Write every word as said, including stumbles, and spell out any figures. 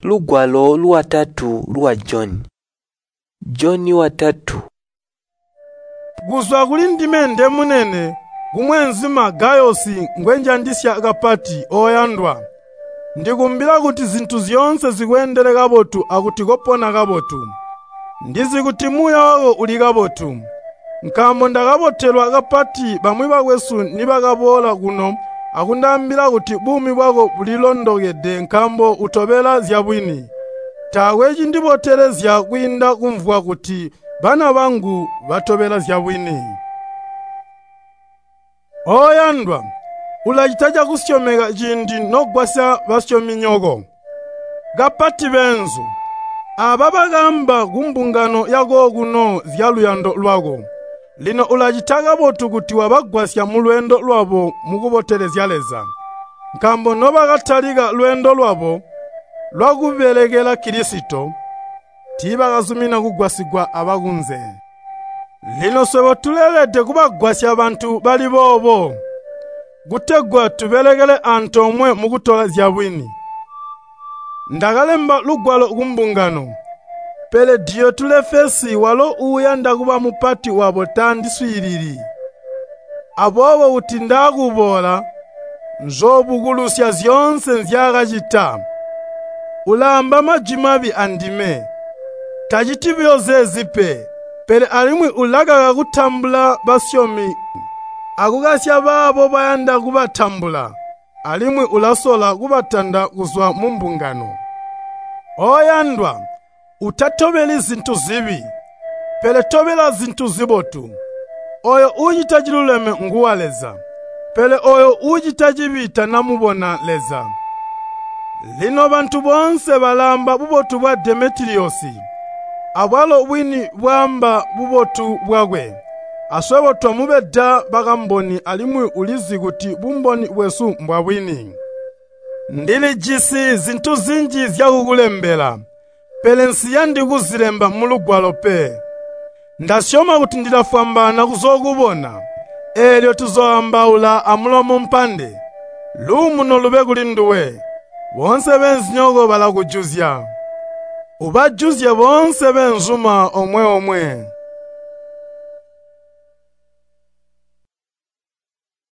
Lugwalo lwatatu lwa Joni. Joni watatu. Kuzwa kulindime ndemunene, kumweenzuma Gayosi ngwenjandisya kapati ooyandwa. Ndikumbila kuti zintu zyoonse zikweendele kabotu akuti kopona kabotu. Ndizi kuti muuya wako uli kabotu. Nkaambo ndakabotelwa kapati bamwi bakwesu nibakaboola kuno akundaambila kuti buumi bwako bulilondokede nkaambo utobela zyabwini. Taakwe cindibotelezya kwiinda kumvwa kuti bana bangu batobela zyabwini. Ooyandwa, ulacita cakusyomeka ciindi nogwasya basyominyoko, kapati beenzu. Aaba bakaamba kumbungano yakokuno zyaluyando lwako. Lino ulacita kabotu kuti wabagwasya mulweendo lwabo mukubotelezya Leza. Nkaambo nobakatalika lweendo lwabo lwakubelekela Kilisito, tiibakazumina kugwasigwa abakunze. Lino swebo tuleelede kubagwasya bantu bali boobo, kutegwa tubelekele antoomwe mukutola zyabwini. Ndakalemba lugwalo kumbungano, pele Diyotulefesi walo uuyanda kuba mupati wabo tandiswiilili. Aboobo kuti ndaakuboola, nzoobukulusya zyoonse nzyaakacita. Ulaamba majwi mabi andime. Taciti buyo zeezi pe, pele alimwi ulakaka kutambula basyomi akukasya baabo bayanda kubatambula, alimwi ulasola kubatanda kuzwa mumbungano. Ooyandwa, utatobeli zintu zibi, pele tobela zintu zibotu. Ooyo uucita ciluleme nguwa Leza, pele ooyo uucita cibi tanamubona Leza. Lino bantu boonse balaamba bubotu bwa Demetiliyosi, abwalo bwini bwaamba bubotu bwakwe. Aswebo twamubeda bakamboni alimwi ulizi kuti bumboni bwesu mbwabwini. Ndilijisi zintu zinji zyakukulembela, pele nsiyandi kuzilemba mulugwalo pe. Ndasyoma kuti ndilafwambaana kuzookubona, eelyo tuzooambaula amulomo mpande. Luumuno lube kulinduwe. Boonse beenzinyoko balakujuzya. Ubajuzye boonse beenzuma omwe-omwe.